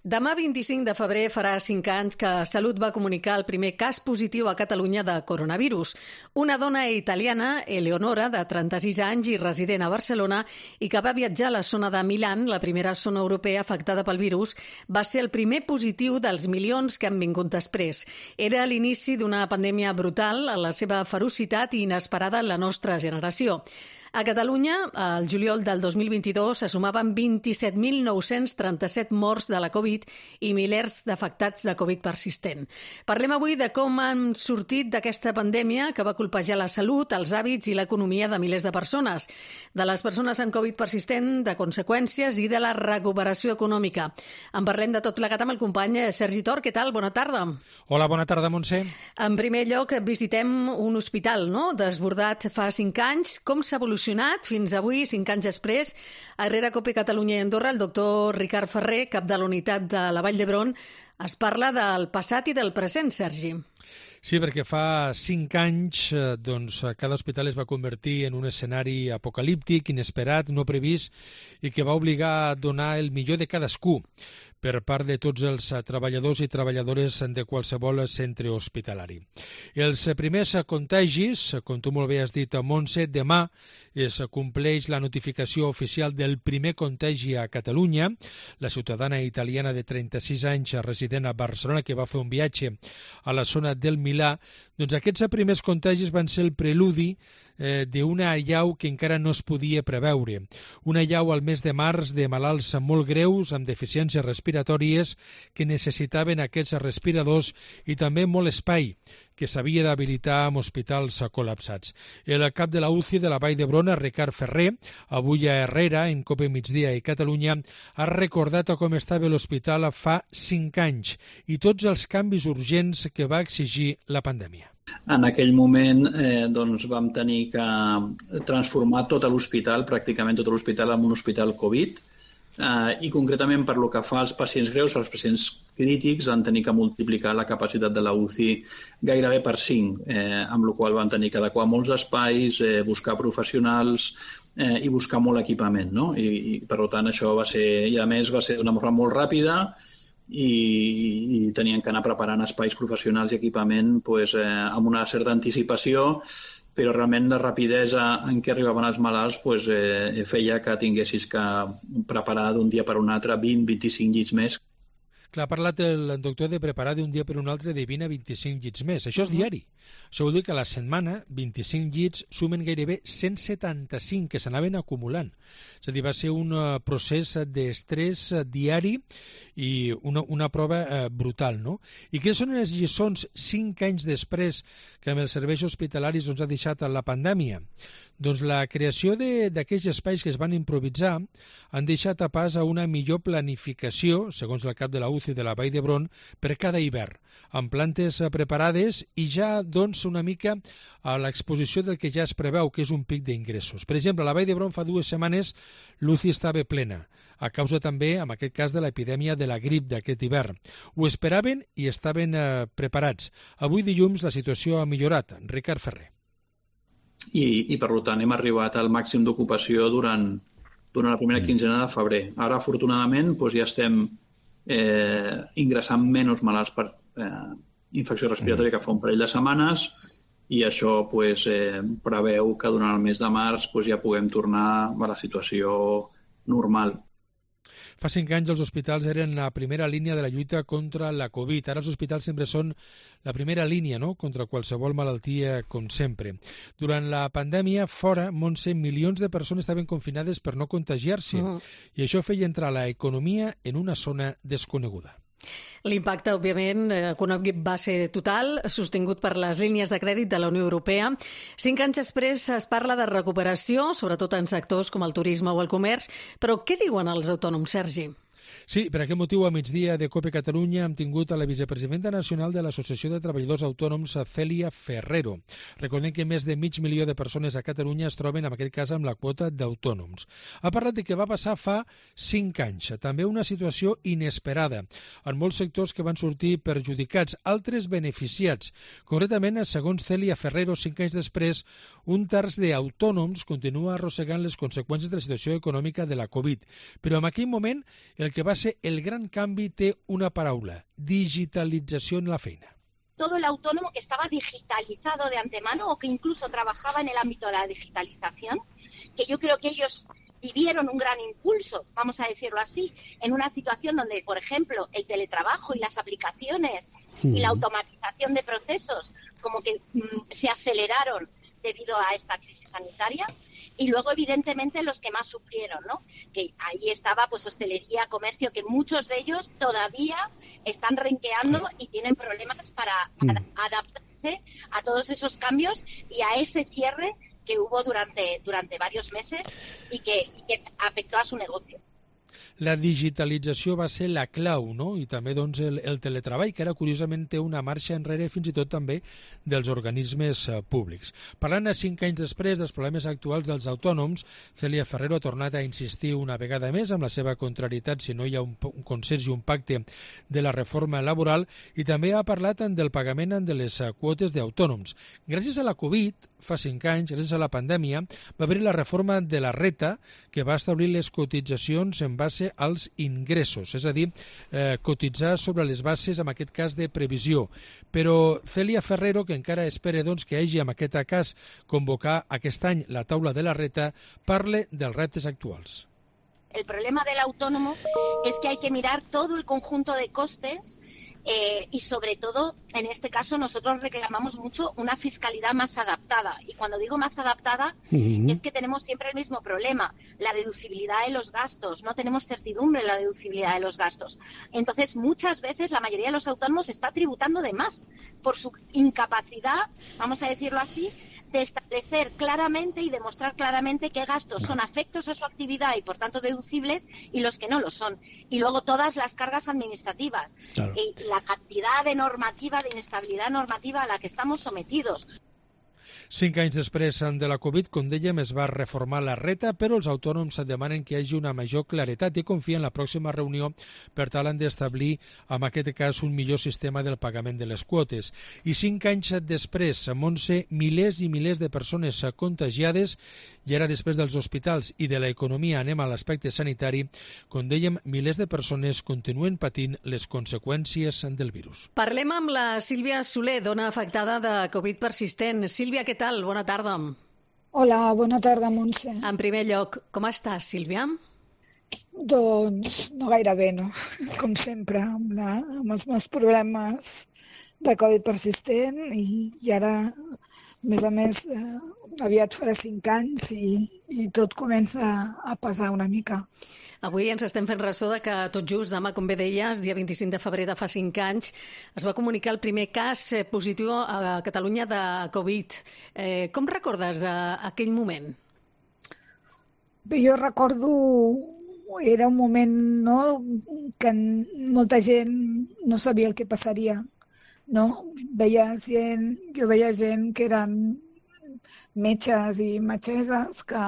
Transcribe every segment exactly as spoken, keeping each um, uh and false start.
Demà vint-i-cinc de febrer farà cinc anys que Salut va comunicar el primer cas positiu a Catalunya de coronavirus. Una dona italiana, Eleonora, de trenta-sis anys i resident a Barcelona, i que va viatjar a la zona de Milà, la primera zona europea afectada pel virus, va ser el primer positiu dels milions que han vingut després. Era l'inici d'una pandèmia brutal, en la seva ferocitat i inesperada en la nostra generació. A Catalunya, al juliol del dos mil vint-i-dos, se sumaven vint-i-set mil nou-cents trenta-set morts de la Covid i milers d'afectats de Covid persistent. Parlem avui de com han sortit d'aquesta pandèmia que va colpejar la salut, els hàbits i l'economia de milers de persones, de les persones amb Covid persistent, de conseqüències i de la recuperació econòmica. En parlem de tot plegat amb el company Sergi Tor. Què tal? Bona tarda. Hola, bona tarda, Montse. En primer lloc, visitem un hospital, no?, desbordat fa cinc anys. Com s'ha evolucionat fins avui, cinc anys després? A Rere-Cope Catalunya i Andorra, el doctor Ricard Ferrer, cap de la unitat de la Vall d'Hebron, es parla del passat i del present, Sergi. Sí, perquè fa cinc anys doncs, cada hospital es va convertir en un escenari apocalíptic, inesperat, no previst, i que va obligar a donar el millor de cadascú per part de tots els treballadors i treballadores de qualsevol centre hospitalari. Els primers contagis, com tu molt bé has dit, Montse, demà es compleix la notificació oficial del primer contagi a Catalunya. La ciutadana italiana de trenta-sis anys resident a Barcelona, que va fer un viatge a la zona del Milà, doncs aquests primers contagis van ser el preludi eh, d'una allau que encara no es podia preveure. Una allau al mes de març de malalts molt greus, amb deficiències respiratòries, que necessitaven aquests respiradors i també molt espai que s'havia d'habilitar amb hospitals col·lapsats. El cap de la U C I de la Vall d'Hebron, Ricard Ferrer, avui a Herrera, en Cope Migdia i Catalunya, ha recordat com estava l'hospital fa cinc anys i tots els canvis urgents que va exigir la pandèmia. En aquell moment eh, doncs vam tenir que transformar tot l'hospital, pràcticament tot l'hospital, en un hospital Covid, eh, i concretament per lo que fa als pacients greus, als pacients crítics, van tenir que multiplicar la capacitat de la U C I gairebé per cinc, eh, amb la qual van tenir que adequar molts espais, eh, buscar professionals eh, i buscar molt equipament, no? I, i per tant això va ser, i a més va ser d'una forma molt ràpida, i, i tenien que anar preparant espais professionals i equipament pues, eh, amb una certa anticipació, però realment la rapidesa en què arribaven els malalts pues, eh, feia que tinguessis que preparar d'un dia per un altre vint a vint-i-cinc llits més. Clar, ha parlat el doctor de preparar d'un dia per un altre de vint a vint-i-cinc llits més. Això és diari. Això vol dir que a la setmana vint-i-cinc llits sumen gairebé cent setanta-cinc que s'anaven acumulant. És a dir, va ser un procés d'estrès diari i una, una prova eh, brutal, no? I quines són les lliçons cinc anys després que amb els serveis hospitalaris ens ha deixat la pandèmia? Doncs la creació d'aquells espais que es van improvisar han deixat a pas a una millor planificació, segons el cap de la U C I de la Vall d'Hebron, per cada hivern, amb plantes preparades i ja doncs una mica a l'exposició del que ja es preveu, que és un pic d'ingressos. Per exemple, a la Vall d'Hebron fa dues setmanes l'U C I estava plena, a causa també, en aquest cas, de l'epidèmia de la grip d'aquest hivern. Ho esperaven i estaven eh, preparats. Avui dilluns la situació ha millorat. Ricard Ferrer. I, i per tant hem arribat al màxim d'ocupació durant, durant la primera quinzena de febrer. Ara, afortunadament, doncs ja estem eh, ingressant menys malalts per eh, infecció respiratòria que fa un parell de setmanes i això doncs, eh, preveu que durant el mes de març doncs, ja puguem tornar a la situació normal. Fa cinc anys els hospitals eren la primera línia de la lluita contra la Covid. Ara els hospitals sempre són la primera línia, no?, contra qualsevol malaltia, com sempre. Durant la pandèmia, fora, Montse, milions de persones estaven confinades per no contagiar-se, uh-huh. i això feia entrar l'economia en una zona desconeguda. L'impacte, òbviament, econòmic va ser total, sostingut per les línies de crèdit de la Unió Europea. Cinc anys després es parla de recuperació, sobretot en sectors com el turisme o el comerç, però què diuen els autònoms, Sergi? Sí, per aquest motiu, a migdia de Cope Catalunya hem tingut a la vicepresidenta nacional de l'Associació de Treballadors Autònoms, Cèlia Ferrero. Recordem que més de mig milió de persones a Catalunya es troben, en aquest cas, amb la quota d'autònoms. Ha parlat de què va passar fa cinc anys. També una situació inesperada, en molts sectors que van sortir perjudicats, altres beneficiats. Concretament, segons Cèlia Ferrero, cinc anys després, un terç d'autònoms continua arrossegant les conseqüències de la situació econòmica de la Covid. Però en aquell moment el que que va ser el gran canvi té una paraula, digitalització en la feina. Todo el autónomo que estaba digitalizado de antemano o que incluso trabajaba en el ámbito de la digitalización, que yo creo que ellos vivieron un gran impulso, vamos a decirlo así, en una situación donde, por ejemplo, el teletrabajo y las aplicaciones y la automatización de procesos como que mmm, se aceleraron debido a esta crisis sanitaria. Y luego, evidentemente, los que más sufrieron, ¿no? Que ahí estaba, pues, hostelería, comercio, que muchos de ellos todavía están renqueando y tienen problemas para mm. ad- adaptarse a todos esos cambios y a ese cierre que hubo durante, durante varios meses y que, y que afectó a su negocio. La digitalització va ser la clau, no? I també doncs, el, el teletreball, que ara curiosament té una marxa enrere fins i tot també dels organismes eh, públics. Parlant a cinc anys després dels problemes actuals dels autònoms, Cèlia Ferrero ha tornat a insistir una vegada més amb la seva contrarietat si no hi ha un, un consens i un pacte de la reforma laboral i també ha parlat del pagament de les quotes d'autònoms. Gràcies a la Covid, fa cinc anys, gràcies a la pandèmia, va haver la reforma de la Reta que va establir les cotitzacions en base als ingressos, és a dir, eh, cotitzar sobre les bases, en aquest cas, de previsió. Però Cèlia Ferrero, que encara espera doncs, que hagi en aquest cas convocar aquest any la taula de la Reta, parla dels reptes actuals. El problema del autónomo es que hay que mirar todo el conjunto de costes Eh, y sobre todo, en este caso, nosotros reclamamos mucho una fiscalidad más adaptada. Y cuando digo más adaptada, uh-huh. es que tenemos siempre el mismo problema, la deducibilidad de los gastos. No tenemos certidumbre en la deducibilidad de los gastos. Entonces, muchas veces la mayoría de los autónomos está tributando de más por su incapacidad, vamos a decirlo así, de establecer claramente y demostrar claramente qué gastos son afectos a su actividad y por tanto deducibles y los que no lo son. Y luego todas las cargas administrativas claro. y la cantidad de normativa, de inestabilidad normativa a la que estamos sometidos. Cinc anys després de la Covid, com dèiem, es va reformar la Reta, però els autònoms demanen que hi hagi una major claretat i confien en la pròxima reunió per tal d'establir, en aquest cas, un millor sistema del pagament de les quotes. I cinc anys després, Montse, milers i milers de persones contagiades, i ara després dels hospitals i de l'economia anem a l'aspecte sanitari, com dèiem, milers de persones continuen patint les conseqüències del virus. Parlem amb la Sílvia Soler, dona afectada de Covid persistent. Sílvia, què tal? Bona tarda. Hola, bona tarda, Montse. En primer lloc, com estàs, Sílvia? Doncs no gaire bé, no? Com sempre, amb, la, amb els meus problemes de Covid persistent i, i ara, a més a més, eh, aviat farà cinc anys i, i tot comença a pesar una mica. Avui ens estem fent ressò de que tot just demà, com bé deies, dia vint-i-cinc de febrer de fa cinc anys, es va comunicar el primer cas positiu a Catalunya de Covid. Eh, com recordes eh, aquell moment? Bé, jo recordo, era un moment, no?, que molta gent no sabia el que passaria, no? Veia gent, jo veia gent que eren metges i metgesses que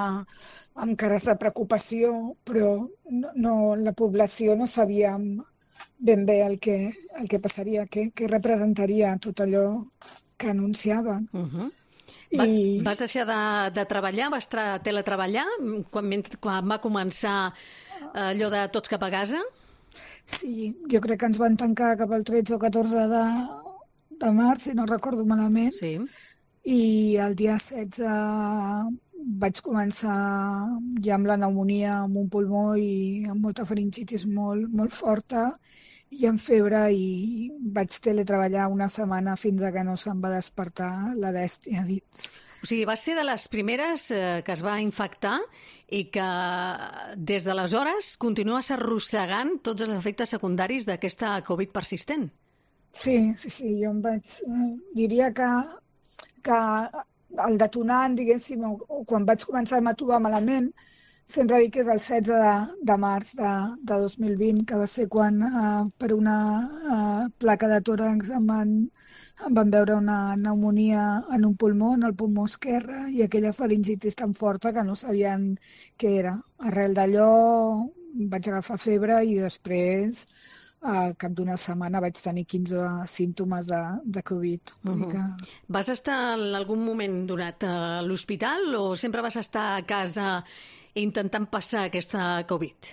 amb cares de preocupació, però no, no, la població no sabia ben bé el que, el que passaria, què, què representaria tot allò que anunciaven. Uh-huh. Va, I... Vas deixar de, de treballar, vas tra- teletreballar quan, quan va començar allò de tots cap a casa? Sí, jo crec que ens van tancar cap al tretze o catorze de, de març, si no recordo malament. Sí. I el dia setze vaig començar ja amb la pneumònia amb un pulmó i amb molta faringitis molt, molt forta i amb febre i vaig teletreballar una setmana fins a que no se'm va despertar la bèstia dins. O sigui, vas ser de les primeres eh, que es va infectar i que des d'aleshores continues arrossegant tots els efectes secundaris d'aquesta Covid persistent. Sí, sí, sí, jo em vaig... Eh, diria que, que el detonant, diguéssim, o, o quan vaig començar-me a trobar malament, sempre dic que és el setze de, de març de, de dos mil vint, que va ser quan eh, per una eh, placa de tòrax em van, em van veure una pneumònia en un pulmó, en el pulmó esquerre, i aquella faringitis tan forta que no sabien què era. Arrel d'allò vaig agafar febre i després, al cap d'una setmana, vaig tenir quinze símptomes de, de Covid. Uh-huh. Que... Vas estar en algun moment donat a l'hospital o sempre vas estar a casa intentant passar aquesta Covid?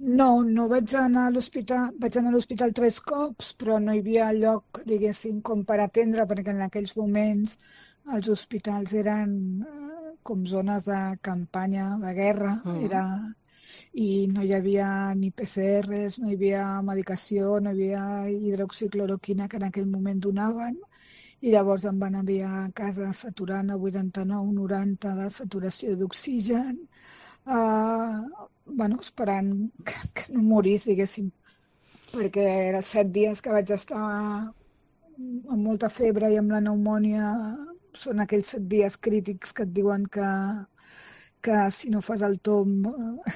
No, no vaig anar a l'hospital, vaig anar a l'hospital tres cops, però no hi havia lloc, diguéssim, com per atendre, perquè en aquells moments els hospitals eren eh, com zones de campanya, de guerra, mm. era, i no hi havia ni P C Rs, no hi havia medicació, no hi havia hidroxicloroquina que en aquell moment donaven, i llavors em van enviar a casa saturant a vuitanta-nou noranta de saturació d'oxigen, Uh, bueno, esperant que, que no morís, diguéssim, perquè eren set dies que vaig estar amb molta febre i amb la pneumònia. Són aquells set dies crítics que et diuen que, que si no fas el tomb, uh,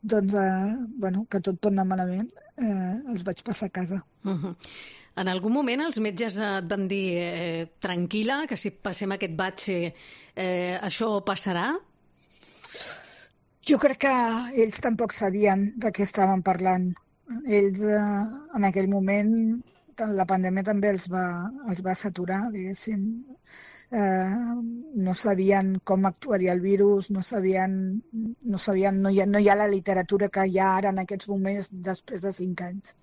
doncs, uh, bueno, que tot torna malament. Uh, els vaig passar a casa. Uh-huh. En algun moment els metges et van dir eh, tranquil·la, que si passem aquest batxe eh, això passarà? Jo crec que ells tampoc sabien de què estaven parlant. Ells, eh, en aquell moment, la pandèmia també els va, els va saturar, diguéssim. Eh, no sabien com actuaria el virus, no sabien, no, sabien no, hi ha, no hi ha la literatura que hi ha ara en aquests moments després de cinc anys.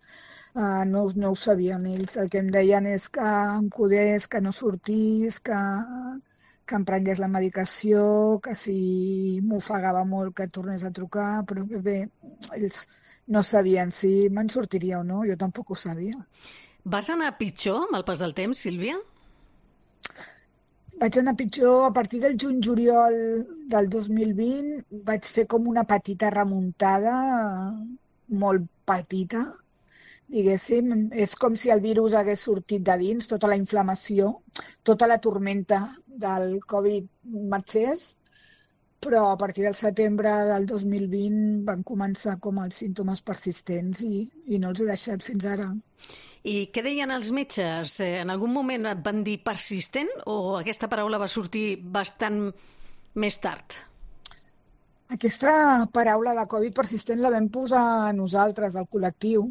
Uh, no, no ho sabien ells. El que em deien és que em cuidés, que no sortís, que... que em prengués la medicació, que si m'ofegava molt que tornés a trucar, però bé, bé, ells no sabien si me'n sortiria o no, jo tampoc ho sabia. Vas anar pitjor amb el pas del temps, Sílvia? Vaig anar pitjor a partir del juny-juliol del dos mil vint, vaig fer com una petita remuntada, molt petita, diguéssim, és com si el virus hagués sortit de dins, tota la inflamació, tota la tormenta del Covid marxés, però a partir del setembre del dos mil vint van començar com els símptomes persistents i, i no els he deixat fins ara. I què deien els metges? En algun moment et van dir persistent o aquesta paraula va sortir bastant més tard? Aquesta paraula de Covid persistent la vam posar nosaltres, el col·lectiu.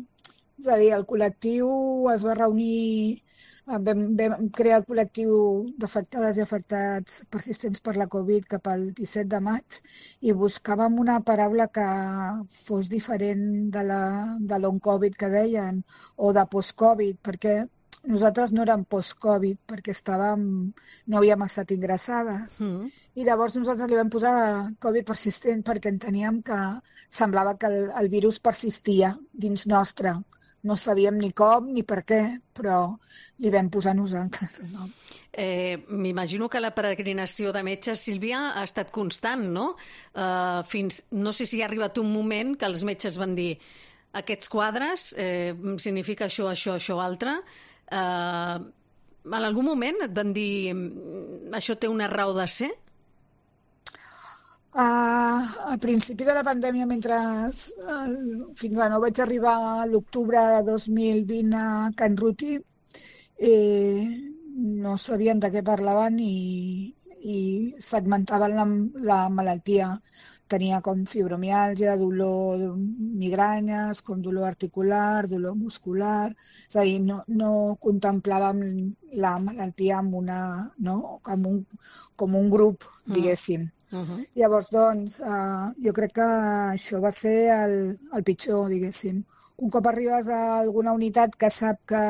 És a dir, el col·lectiu es va reunir, vam, vam crear el col·lectiu d'afectades i afectats persistents per la Covid cap al disset de maig i buscàvem una paraula que fos diferent de la de long-Covid que deien o de post-Covid, perquè nosaltres no érem post-Covid, perquè estàvem, no havíem estat ingressades. Mm. I llavors nosaltres li vam posar Covid persistent perquè enteníem que semblava que el, el virus persistia dins nostre. No sabíem ni com ni per què, però li vam posar nosaltres el nom. Eh, M'imagino que la peregrinació de metges, Sílvia, ha estat constant, no? Uh, fins, no sé si ha arribat un moment que els metges van dir aquests quadres eh, significa això, això, això, altre. Uh, en algun moment et van dir això té una raó de ser? Uh, al principi de la pandèmia, mentre uh, fins a no vaig arribar a l'octubre de dos mil vint a Can Ruti, eh, no sabien de què parlaven i, i segmentaven la, la malaltia. Tenia com fibromiàlgia, dolor, migranyes, com dolor articular, dolor muscular. És a dir, no, no contemplàvem la malaltia amb una, no? com, un, com un grup, diguéssim. Uh-huh. Llavors, doncs, uh, jo crec que això va ser el, el pitjor, diguéssim. Un cop arribes a alguna unitat que sap que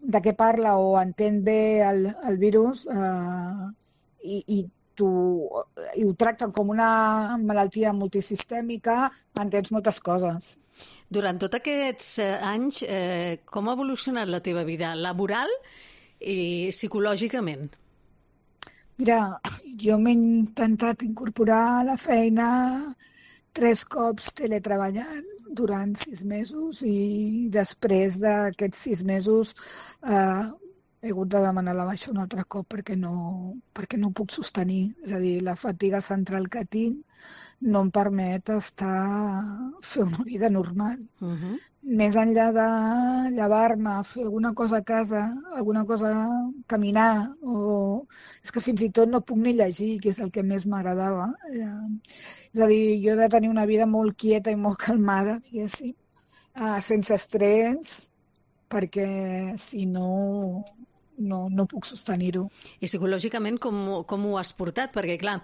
de què parla o entén bé el, el virus uh, i, i, tu, i ho tracten com una malaltia multisistèmica, entens moltes coses. Durant tots aquests anys, eh, com ha evolucionat la teva vida laboral i psicològicament? Mira, jo m'he intentat incorporar a la feina tres cops teletreballant durant sis mesos i després d'aquests sis mesos eh, he hagut de demanar la baixa un altre cop perquè no, perquè no puc sostenir. És a dir, la fatiga central que tinc no em permet estar, fer una vida normal. Uh-huh. Més enllà de llevar-me, fer alguna cosa a casa, alguna cosa, caminar, o és que fins i tot no puc ni llegir, que és el que més m'agradava. És a dir, jo he de tenir una vida molt quieta i molt calmada, diguéssim, sense estrès, perquè si no, no, no puc sostenir-ho. I psicològicament com, com ho has portat? Perquè, clar,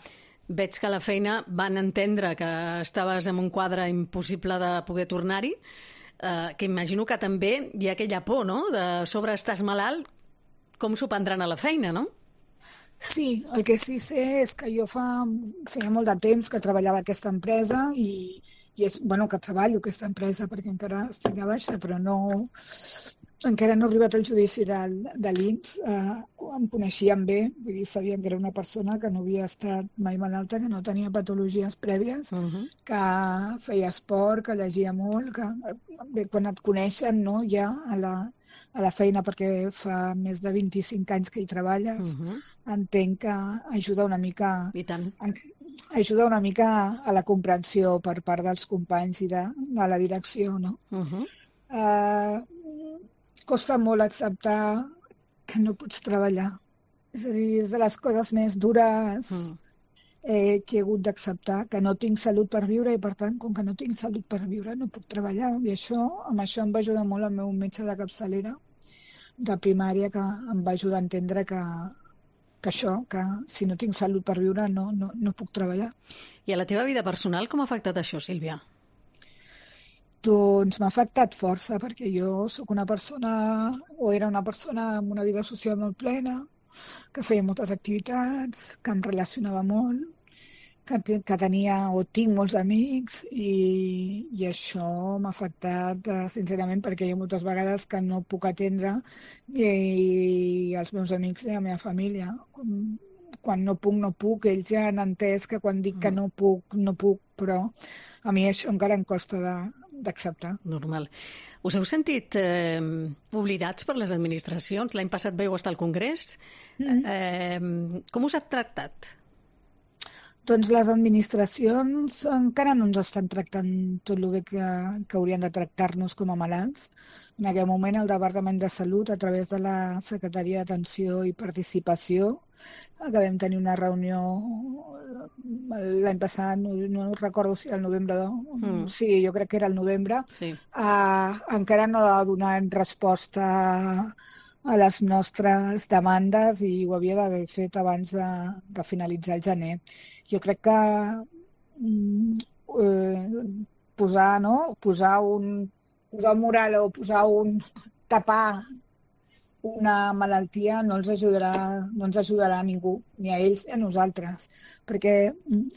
Veig que a la feina van entendre que estaves en un quadre impossible de poder tornar-hi, eh, que imagino que també hi ha aquella por, no?, de sobre estàs malalt, com s'ho prendran a la feina, no? Sí, el que sí sé és que jo fa, feia molt de temps que treballava a aquesta empresa i, i és, bueno, que treballo a aquesta empresa perquè encara estic de baixa, però no, encara no ha arribat el judici de, de l'I N S. Eh, em coneixien bé, vull dir, sabien que era una persona que no havia estat mai malalta, que no tenia patologies prèvies, uh -huh. que feia esport, que llegia molt, que bé, quan et coneixen, no, ja a la, a la feina, perquè fa més de vint-i-cinc anys que hi treballes, uh -huh. entenc que ajuda una mica... I tant. A, ajuda una mica a la comprensió per part dels companys i de, de la direcció, no? Uh -huh. uh, costa molt acceptar que no pots treballar. És a dir, és de les coses més dures uh -huh. eh, que he hagut d'acceptar, que no tinc salut per viure i, per tant, com que no tinc salut per viure, no puc treballar. I això, amb això em va ajudar molt el meu metge de capçalera de primària, que em va ajudar a entendre que, que això, que si no tinc salut per viure no, no, no puc treballar. I a la teva vida personal com ha afectat això, Sílvia? Doncs m'ha afectat força, perquè jo sóc una persona, o era una persona amb una vida social molt plena, que feia moltes activitats, que em relacionava molt, que, que tenia o tinc molts amics, i, i això m'ha afectat eh, sincerament, perquè hi ha moltes vegades que no puc atendre ni els meus amics ni la meva família. Com, quan no puc, no puc. Ells ja han entès que quan dic que no puc, no puc, però a mi això encara em costa de, d'acceptar. Normal. Us heu sentit eh, oblidats per les administracions? L'any passat veu estar al Congrés. Mm-hmm. eh, com us ha tractat? Doncs les administracions encara no ens estan tractant tot el bé que, que haurien de tractar-nos com a malalts. En aquell moment el Departament de Salut, a través de la Secretaria d'Atenció i Participació, que vam tenir una reunió l'any passat, no, no recordo si era el novembre, mm. sí, jo crec que era el novembre, sí. uh, encara no ha donat resposta a les nostres demandes i ho havia d'haver fet abans de, de finalitzar el gener. Jo crec que mm, eh, posar, no? posar un posar un mural o posar un tapar una malaltia no els ajudarà, no ens ajudarà a ningú, ni a ells ni a nosaltres, perquè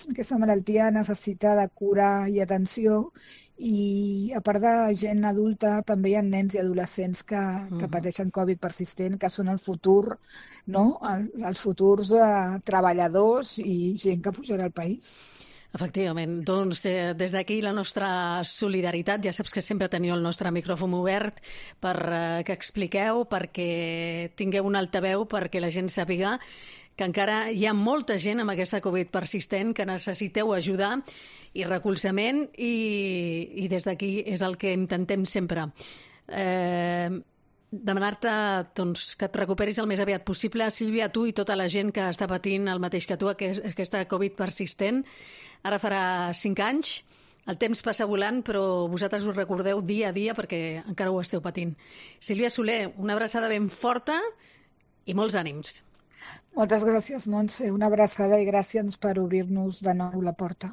aquesta malaltia necessita de cura i atenció, i a part de gent adulta també hi ha nens i adolescents que, uh-huh. que pateixen Covid persistent, que són el futur, no? El, els futurs eh, treballadors i gent que pujarà al país. Efectivament. Doncs eh, des d'aquí la nostra solidaritat. Ja saps que sempre teniu el nostre micròfon obert per eh, que expliqueu, perquè tingueu un altaveu, perquè la gent sàpiga que encara hi ha molta gent amb aquesta Covid persistent, que necessiteu ajudar i recolzament, i, i des d'aquí és el que intentem sempre. Eh, demanar-te doncs, que et recuperis el més aviat possible, Sílvia, tu i tota la gent que està patint el mateix que tu, aquesta Covid persistent. Ara farà cinc anys, el temps passa volant, però vosaltres us recordeu dia a dia perquè encara ho esteu patint. Sílvia Soler, una abraçada ben forta i molts ànims. Moltes gràcies, Montse. Una abraçada i gràcies per obrir-nos de nou la porta.